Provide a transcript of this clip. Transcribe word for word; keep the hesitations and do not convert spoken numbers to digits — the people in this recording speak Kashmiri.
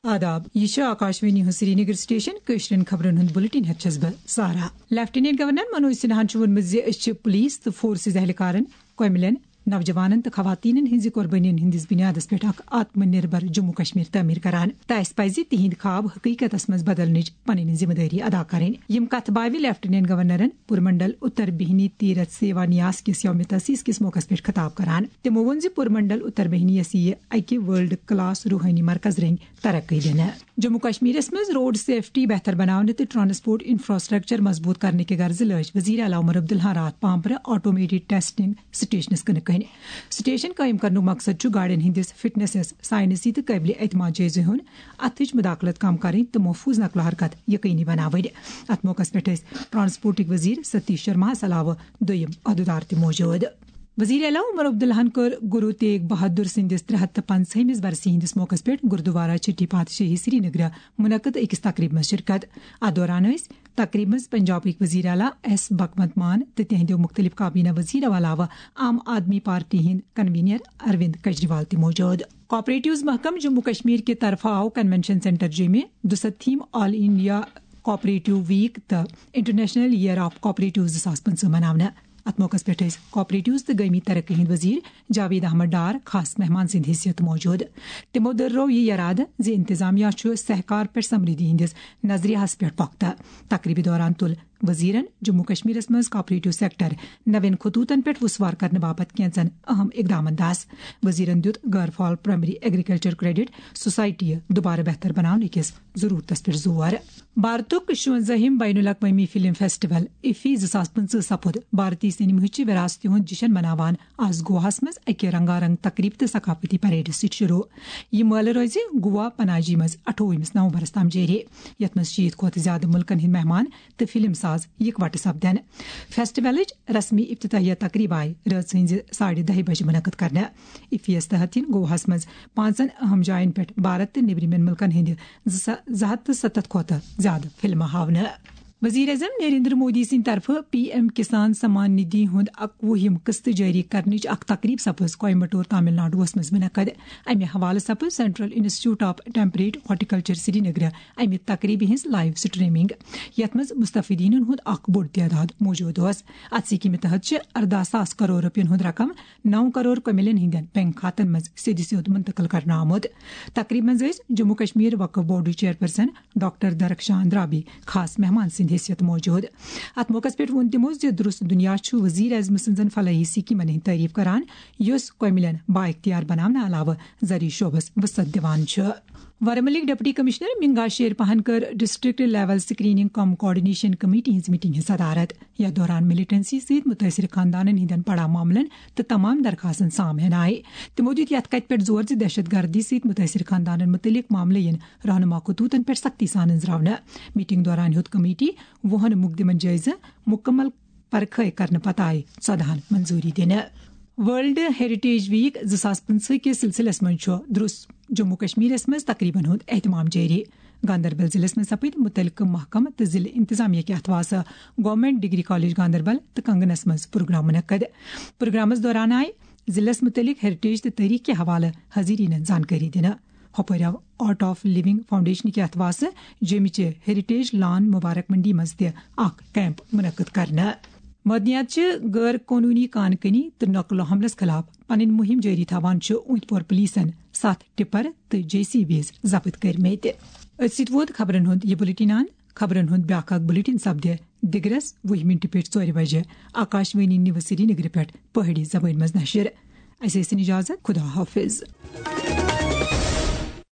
آداب، یہِ چھِ آکاشوانی ہٕنٛز سرینگر سٹیشن۔ کٲشرٮ۪ن خبرن ہُنٛد بُلٹن ہٮ۪تھ چھَس بہٕ سارا۔ لیفٹیننٹ گورنر منوج سنہاہن چھُ ووٚنمُت زِ أسۍ چھِ پولیس تہٕ فورسز اہلکارن، کۄمِلٮ۪ن، نوجوانن تہٕ خواتینن ہٕنٛزِ قۄربٲنین ہٕنٛدِس بُنیادس پٮ۪ٹھ اکھ آتم نربھر جموں کشمیر تعمیٖر کران تہٕ اسہِ پزِ تِہنٛدۍ خواب حقیقتس منٛز بدلنٕچ پنٕنۍ ذمہٕ دٲری ادا کرٕنۍ۔ یِم کتھٕ باوِ لیفٹیننٹ گورنرن پُرمنڈل اتر بہنی تیرتھ سیوا نیاس کِس یوم تاسیس کِس موقعس پٮ۪ٹھ خطاب کران۔ تِمو ووٚن زِ پُرمنڈل اتر بہنیس یِیہِ اکہِ ورلڈ کلاس روحٲنی مرکز رٔنگۍ ترقی دِنہٕ۔ جموں کشمیرس منٛز روڈ سیفٹی بہتر بناونہٕ تہٕ ٹرانسپورٹ انفراسٹرکچر مضبوط کرنہٕ کہِ غرضہٕ لٲج وزیر اعلیٰ عمر عبداللہ راتھ پامپرٕ آٹومیٹڈ ٹیسٹنگ سٹیشنس کٕنہٕ کٔنۍ۔ سٹیشن قٲیِم کرنُک مقصد چھُ گاڑٮ۪ن ہٕنٛدِس فٹنسس، ساینسی تہٕ قٲبلِ اعتماد جٲیزٕ ہُنٛد، اتھٕچ مداخلت کم کرٕنۍ تہٕ محفوظ نقل و حرکت یقینی بناوٕنۍ۔ اتھ موقعس پٮ۪ٹھ ٲسۍ ٹرانسپورٹٕکۍ وزیر ستیش شرماہس علاوٕ دوٚیِم عہدٕدار تہِ موجود۔ وزیر اعلیٰ عمر عبداللہن کٔر گرو تیگ بہادر سٕنٛدِس ترٛےٚ ہَتھ تہٕ پنٛژہٲیمِس برسی ہٕنٛدِس موقعس پٮ۪ٹھ گردوارہ چھٹی پادشاہی سرینگرٕ منعقد أکِس تقریبہِ منٛز شرکت۔ اتھ دوران ٲسۍ تقریبہِ منٛز پنجابٕکۍ وزیر اعلیٰ ایس بھگونت مان تہٕ تِہنٛدیو مختلف کابینہ وزیرو علاوٕ عام آدمی پارٹی ہٕنٛدۍ کنوینر اروند کجریوال تہِ موجود۔ کوآپریٹیوز محکمہٕ جموں کشمیر کہِ طرفہٕ آو کنونشن سینٹر جیمہِ دُسَتتھِم آل انڈیا کوآپریٹیو ویک تہٕ انٹرنیشنل ایئر آف کوآپریٹیو زٕ ساس پٕنٛژٕہ مناونہٕ۔ اتھ موقعس پٮ۪ٹھ ٲسۍ کوآپریٹیوز تہٕ گٲمی ترقی ہٕنٛدۍ وزیر جاوید احمد ڈار خاص مہمان سٕنٛدِ حیثیت موجود۔ تِمو دٔررٲو یہِ یرادٕ زِ انتظامیہ چھُ سہکار پٮ۪ٹھ سمریدھی ہٕنٛدِس نظریہس پٮ۪ٹھ پۄختہٕ۔ تقریبہِ دوران تُل وزیرن جموں کشمیرس منٛز کوآپریٹیو سیکٹر نوین خطوطن پٮ۪ٹھ وسوار کرنہٕ باپتھ کینٛژن اہم اقدامن دس۔ وزیرن دیُت غیر فعال پرائمری ایگریکلچر کریڈٹ سوسائٹی دوبارٕ بہتر بناونہٕ کِس ضرورتس پٮ۪ٹھ زور۔ بھارتُک شُونزٲہِم بین الاقوٲمی فلم فیسٹیول ایفی زٕ ساس پٕنٛژٕہ سپُد بھارتی سینماہٕچہِ وراثتہِ ہُنٛد جشن مناوان۔ از گواہس منٛز اکہِ رنگا رنگ تقریب تہٕ ثقافتی پریڈ سۭتۍ شروع۔ یہِ مٲلہٕ روزِ گوا پناجی منٛز اَٹھووُہمِس نومبرس تام جٲری، یتھ منٛز شیٖتھ کھۄتہٕ زیادٕ مُلکن ہٕنٛدۍ مہمان تہٕ فلم ساز یکوٹہٕ سپدن۔ فیسٹیولٕچ رسمی افتتاحیہ تقریب آیہِ رٲژ ہٕنٛزِ ساڑِ دَہہِ بجہِ منعقد کرنہٕ۔ ایفیس تحت یِن گواہس منٛز پانٛژن اہم جاین پٮ۪ٹھ بھارت تہٕ نیبرِمٮ۪ن مُلکن ہٕنٛدِ زٕ سا-، زٕ ہتھ تہٕ ستتھ کھۄتہٕ زیادٕ فلمہٕ ہاونہٕ۔ وزیر اعظم نریندر مودی سٕنٛدِ طرفہٕ پی ایم کسان سمان ندھی ہُنٛد اَکوُہِم قسط جٲری کرنٕچ اکھ تقریب سپٕز کویمبٹور، تامل ناڈوَس منٛز منعقد۔ امہِ حوالہٕ سپٕز central institute of temperate horticulture سرینگرٕ امہِ تقریبہِ ہٕنٛز لائیو سٹریمنگ، یتھ منٛز مستفیدینن ہُنٛد اکھ بوٚڑ تعداد موجود اوس۔ اتھ سکیمہِ تحت چھِ ارداہ ساس کرور رۄپین ہُنٛد رقم نو کرور کۄمِلین ہٕنٛدٮ۪ن بینک کھاتن منٛز سیٚدِ سیوٚد منتقل کرنہٕ آمُت۔ تقریبہِ منٛز ٲسۍ جموں کشمیر وقف بورڈٕچ چیئرپرسن ڈاکٹر درخشان درابی خاص مہمان سٕنٛدِ حیثیت موجود۔ اتھ موقعس پٮ۪ٹھ ووٚن تِمو زِ درست دُنیا چھُ وزیر اعظم سٕنٛزن فلاحی سکیمن ہٕنٛز تعریف کران، یُس کۄمِلین بااختیار بناونہٕ علاوٕ زرعی شعبس وسعت دِوان چھُ۔ ورملٕکۍ ڈپٹی کمشنر منگا شیر پہن کٔر ڈسٹرکٹ لیول سکریننگ کم کوآرڈینیشن کمیٹی ہٕنٛز میٹنگ ہٕنٛز صدارت۔ یتھ دوران ملٹنسی سۭتۍ متٲثر خاندانن ہٕنٛدٮ۪ن پڑا معاملن تہٕ تمام درخاستن سام ہینہٕ آیہِ۔ تِمو دیُت یتھ کتھِ پٮ۪ٹھ زور زِ دہشت گردی سۭتۍ متٲثر خاندانن متعلق معاملہٕ یِن رہنما خطوطن پٮ۪ٹھ سختی سان أنٛزراونہٕ۔ میٹنگ دوران ہیوٚت کمیٹی وُہن مقدمن جٲیزٕ، مکمل پرکھے کرنہٕ پتہٕ آیہِ ژۄدہن منظوری دِنہٕ۔ ورلڈ ہیریٹیج ویک زٕ ساس پٕنٛژٕہ کِس سلسلس منٛز چھُ درست جموں کشمیرس منٛز تقریبن ہُنٛد اہتمام جٲری۔ گاندربل ضلعس منٛز سپٕدۍ متعلقہٕ محکمہٕ تہٕ ضلعہٕ انتظامیہ کہِ اتھواسہٕ گورنمنٹ ڈگری کالج گاندربل تہٕ کنگنس منٛز پروگرام منعقد۔ پروگرامس دوران آیہِ ضلعس متعلق ہیریٹیج تہٕ تٲریخ کہِ حوالہٕ حاضریٖنن زانکٲری دِنہٕ۔ ہۄپٲرۍ آو آرٹ آف لونگ فاؤنڈیشن کہِ اتھواسہٕ جیمہِ چہِ ہیریٹیج لان مبارک منڈی منٛز تہِ اکھ کیمپ منعقد کرنہٕ۔ معدنیات چہِ غٲر قونوٗنی کان کنی تہٕ نقل و حملس خلاف پنٕنۍ مُہِم جٲری تھاوان چھُ اوٗنتۍ پور پولیسن ستھ ٹپر تہٕ جے سی بیز ضبط کٔرمٕتۍ۔ أتھۍ سۭتۍ ووت خبرن ہُنٛد یہِ بُلٹن اند۔ خبرن ہُنٛد بیٛاکھ اکھ بُلٹن سپدِ دِگرس وُہہِ مِنٹہِ پٮ۪ٹھ ژورِ بجہِ آکاشوانی نیوز سرینگرٕ پٮ۪ٹھ پہٲڑی زبٲنۍ منٛز نشر۔ اسہِ ٲسِن اجازت، خدا حافظ۔